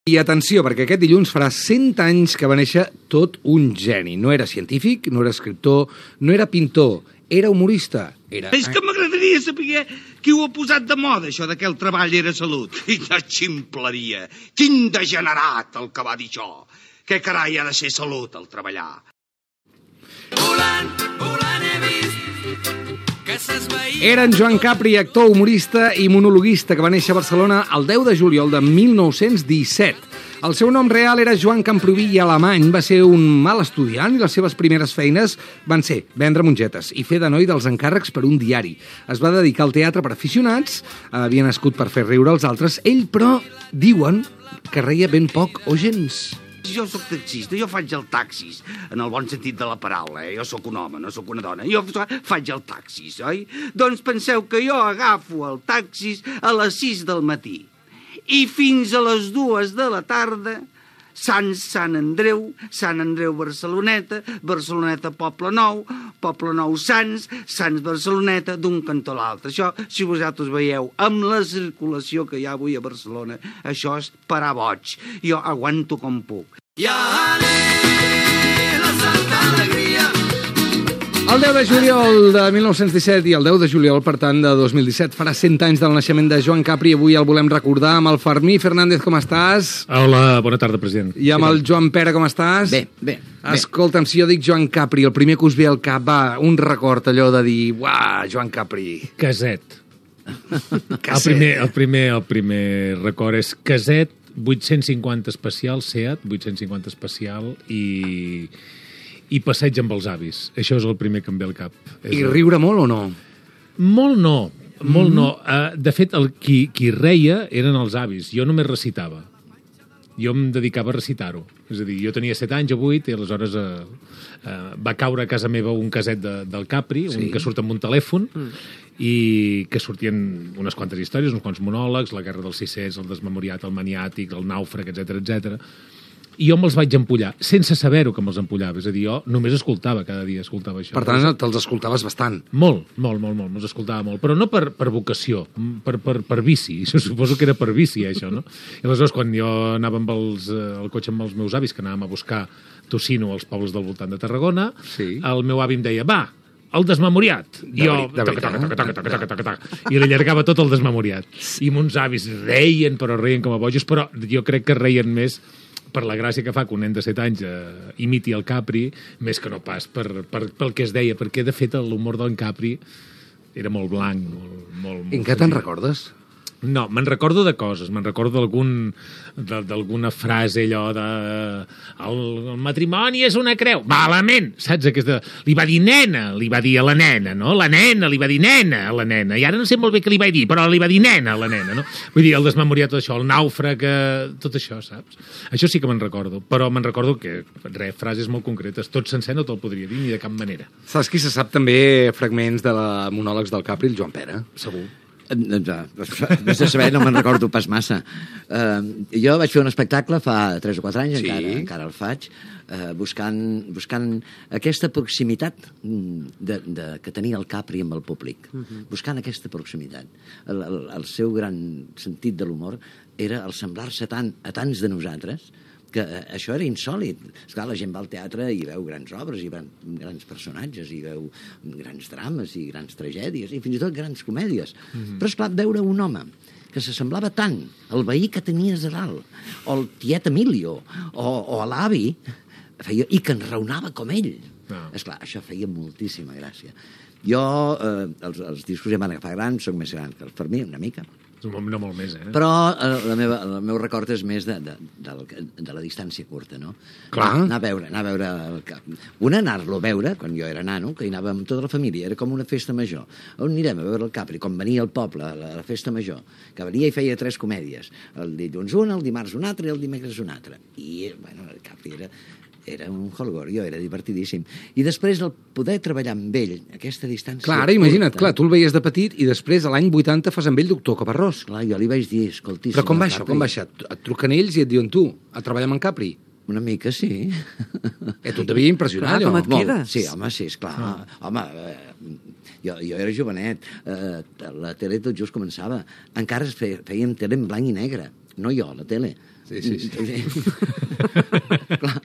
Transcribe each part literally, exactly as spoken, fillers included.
I atenció, perquè aquest dilluns farà cent anys que va néixer tot un geni. No era científic, no era escriptor, no era pintor, era humorista. Era... És que m'agradaria saber qui ho ha posat de moda, això de que el treball era salut. Quina ximpleria! Quin degenerat el que va dir això! Què carai ha de ser salut, el treballar? Volant, volant he vist que s'esvaïa... Era en Joan Capri, actor, humorista i monologuista, que va néixer a Barcelona el deu de juliol de mil nou-cents disset. El seu nom real era Joan Camproví i Alemany, va ser un mal estudiant i les seves primeres feines van ser vendre mongetes i fer de noi dels encàrrecs per un diari. Es va dedicar al teatre per aficionats, havia nascut per fer riure els altres, ell, però, diuen que reia ben poc o gens. Jo sóc taxista, jo faig el taxis, en el bon sentit de la paraula, eh? Jo sóc un home, no sóc una dona. Jo faig el taxis, oi? Doncs penseu que jo agafo el taxis a les sis del matí i fins a les dues de la tarda, Sants, Sant Andreu, Sant Andreu, Barceloneta, Barceloneta, Poble Nou, Poble Nou, Sants, Sants, Barceloneta, d'un cantó a l'altre. Això, si vosaltres veieu, amb la circulació que hi ha avui a Barcelona, això és parar boig. Jo aguanto com puc. I anem a Santa Alegria. El deu de juliol de mil nou-cents disset i el deu de juliol, per tant, de dos mil disset, farà cent anys del naixement de Joan Capri. Avui el volem recordar amb el Fermí Fernández, com estàs? Hola, bona tarda, president. I amb el Joan Pera, com estàs? Bé, bé. Escolta'm, si jo dic Joan Capri, el primer que us ve al cap, va, un record allò de dir, uah, Joan Capri. Caset. El primer, el primer, el primer record és Caset, vuit-cents cinquanta especial, Seat, vuit-cents cinquanta especial i... i passeig amb els avis. Això és el primer que em ve al cap. I riure molt o no? Molt no, molt mm. no. Uh, de fet, el, qui, qui reia eren els avis. Jo només recitava. Jo em dedicava a recitar-ho. És a dir, jo tenia set anys o vuit i aleshores uh, uh, va caure a casa meva un caset de, del Capri, sí. Un que surt amb un telèfon, mm. i que sortien unes quantes històries, uns quants monòlegs, la guerra dels sis-cents, el desmemoriat, el maniàtic, el nàufrag, etcètera, etcètera. I jo me'ls vaig empollar, sense saber-ho que me'ls empollava. És a dir, jo només escoltava, cada dia escoltava això. Per tant, te'ls escoltaves bastant. Molt, molt, molt, molt, me'ls escoltava molt. Però no per, per vocació, per, per, per vici. Jo suposo que era per vici, això, no? I aleshores, quan jo anava amb els, el cotxe amb els meus avis, que anàvem a buscar tocino als pobles del voltant de Tarragona, sí. El meu avi em deia, va, el desmemoriat. I jo, taca, taca, taca, taca, taca, taca, taca, i li allargava tot el desmemoriat. I mons avis reien, però reien com a bojos, però jo crec que reien més per la gràcia que fa que un nen de set anys eh, imiti el Capri, més que no pas per, per, pel que es deia, perquè, de fet, l'humor d'en Capri era molt blanc, molt... molt, molt I en què te'n recordes? No, me'n recordo de coses, me'n recordo d'algun d'alguna frase allò de el, el matrimoni és una creu, malament, saps? Aquesta, li va dir nena, li va dir a la nena, no? La nena, li va dir nena a la nena, i ara no sé molt bé què li va dir, però li va dir nena a la nena, no? Vull dir, el desmemoriat, tot això, el nàufrag, tot això, saps? Això sí que me'n recordo, però me'n recordo que, res, frases molt concretes, tot sencer no te'l podria dir ni de cap manera. Saps qui se sap també fragments de la monòlegs del Capri? El Joan Pera, segur. Més de saber, no me'n recordo pas massa. Uh, jo vaig fer un espectacle fa tres o quatre anys, sí. encara, encara el faig, uh, buscant, buscant aquesta proximitat de, de, que tenia el Capri amb el públic. Uh -huh. Buscant aquesta proximitat. El, el, el seu gran sentit de l'humor era el semblar-se tant a tants de nosaltres que això era insòlid. Esclar, la gent va al teatre i veu grans obres, i grans, grans personatges, i veu grans drames, i grans tragèdies, i fins i tot grans comèdies. Mm-hmm. Però, esclar, veure un home que s'assemblava tant al veí que tenies a dalt, o al tiet Emilio, o, o a l'avi, feia, i que enraonava com ell. No. Esclar, això feia moltíssima gràcia. Jo, eh, els, els discos ja van agafar grans, soc més gran que el Fermí, una mica. No molt més, eh? Però eh, la meva, el meu record és més de, de, de, de la distància curta, no? Clar. Anar a veure, anar a veure el Cap. Una, anar-lo a veure, quan jo era nano, que hi anava amb tota la família, era com una festa major. On anirem a veure el Capri? Com venia al poble, a la, a la festa major, que venia i feia tres comèdies. El dilluns una, el dimarts una altra i el dimecres una altra. I, bueno, el Capri era... era un holgorio, era divertidíssim. I després el poder treballar amb ell, aquesta distància... Clar, ara imagina't, curta, clar, tu el veies de petit i després, a l'any vuitanta, fas amb ell doctor Caparrós. Clar, jo li vaig dir, escolti... Però com va això, com va això? Et truquen ells i et diuen, tu, a treballar amb en Capri? Una mica, sí. Eh, tu et devia impressionar, allò. Com et quedes? Sí, home, sí, esclar. Ah. Home, eh, jo, jo era jovenet. Eh, la tele tot just començava. Encara fèiem tele en blanc i negre. no jo, la tele. Sí, sí, sí. Clar,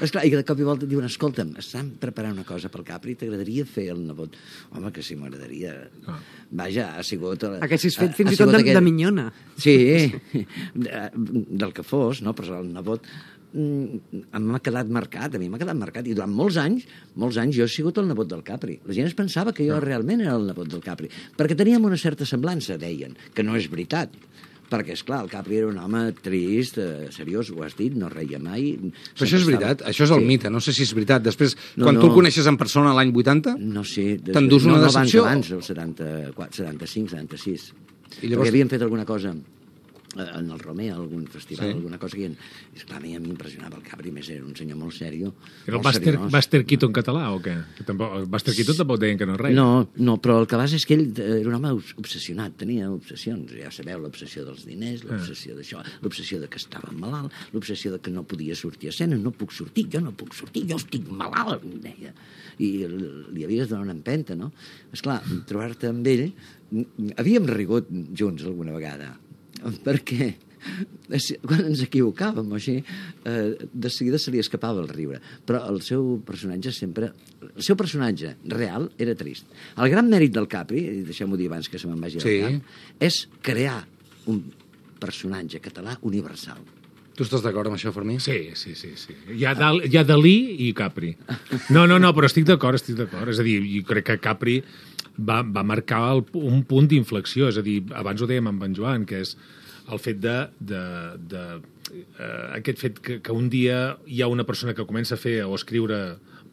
esclar, i de cop i volta et diuen, escolta'm, estan preparant una cosa pel Capri, t'agradaria fer el nebot? Home, que sí, m'agradaria. Ah. Vaja, ha sigut... Haguessis fet ha- fins ha i tot sigut de, aquell- de minyona. Sí, del que fos, no? Però el nebot mm, m'ha quedat marcat, a mi m'ha quedat marcat, i durant molts anys, molts anys jo he sigut el nebot del Capri. La gent es pensava que jo realment era el nebot del Capri, perquè teníem una certa semblança, deien, que no és veritat. Perquè, és clar, el Capri era un home trist, eh, seriós, ho has dit, no reia mai. Però això és veritat, això és el Sí. mite, no sé si és veritat. Després, No, quan no. tu el coneixes en persona l'any vuitanta, No sé. des- T'endús una no, no, decepció? Abans, abans, el setanta-quatre, setanta-cinc, setanta-sis. I llavors- Perquè havien fet alguna cosa eh, en el Romea, algun festival, Sí. alguna cosa que... I, esclar, a mi em impressionava el Capri, més era un senyor molt sèrio. Era el molt Buster, seriós. Buster Keaton català o què? Que tampoc, el Buster Keaton tampoc deien que no reia. No, no, però el que passa és que ell era un home obs- obsessionat, tenia obsessions, ja sabeu, l'obsessió dels diners, l'obsessió d'això, l'obsessió de que estava malalt, l'obsessió de que no podia sortir a escena, no puc sortir, jo no puc sortir, jo estic malalt, em deia. I l- li havies de donar una empenta, no? Esclar, trobar-te amb ell... Havíem rigut junts alguna vegada, perquè quan ens equivocàvem o així, eh, de seguida se li escapava el riure. Però el seu personatge sempre... El seu personatge real era trist. El gran mèrit del Capri, i deixem-ho dir abans que se me'n vagi Sí. al cap, és crear un personatge català universal. tu estàs d'acord amb això, Fermí? Sí, sí, sí. sí. Hi, ha Dal, hi ha Dalí i Capri. No, no, no, però estic d'acord, estic d'acord. És a dir, jo crec que Capri va, va marcar el, un punt d'inflexió. És a dir, abans ho dèiem amb en Joan, que és el fet de... de, de eh, aquest fet que, que un dia hi ha una persona que comença a fer o a escriure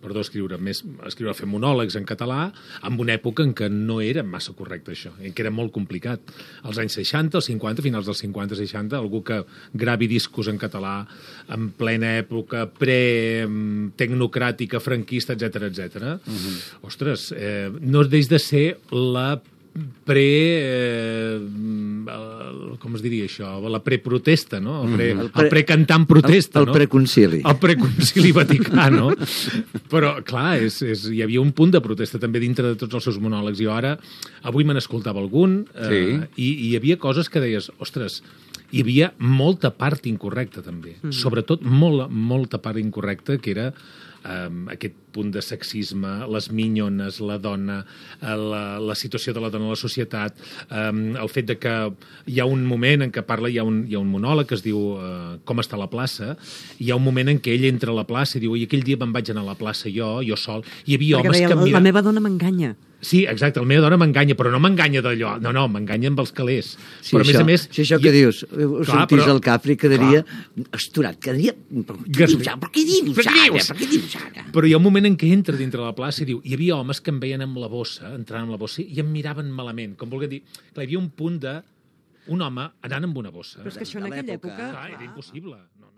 perdó, escriure, més, escriure, fer monòlegs en català, en una època en què no era massa correcte això, en què era molt complicat. Als anys seixanta, als cinquanta, finals dels cinquanta, seixanta, algú que gravi discos en català en plena època pre-tecnocràtica, franquista, etcètera, etcètera. Uh-huh. Ostres, eh, no deix de ser la pre... Eh, el, com es diria això? La preprotesta, no? El, pre, el, pre, el precantant protesta, el, el no? preconcili. El preconcili vaticà, no? Però, clar, és, és, hi havia un punt de protesta també dintre de tots els seus monòlegs. Jo ara, avui me n'escoltava algun, eh, Sí. i, i hi havia coses que deies, ostres, hi havia molta part incorrecta, també. Mm. Sobretot molt, molta part incorrecta, que era um, aquest punt de sexisme, les minyones, la dona, la, la situació de la dona a la societat, um, el fet de que hi ha un moment en què parla, hi ha un, hi ha un monòleg que es diu uh, Com està la plaça, i hi ha un moment en què ell entra a la plaça i diu, i aquell dia me'n vaig anar a la plaça jo, jo sol, hi havia Perquè homes deia, que em la miraven... meva dona m'enganya. Sí, exacte, la meva dona m'enganya, però no m'enganya d'allò. No, no, m'enganya amb els calés. Sí, però, a més això, a més... si això hi- que dius, ho Clar, sentís però- el Capri, quedaria esturat, quedaria... Per què Gas- dius ara? Per què dius Per què ara? dius? Per què dius ara? Però hi ha un moment en què entra dintre de la plaça i diu, hi havia homes que em veien amb la bossa, entrant amb la bossa, i em miraven malament, com volguem dir... Clar, hi havia un punt de... Un home anant amb una bossa. Però és que això en de aquella l'època. època... Clar, era impossible. No, no.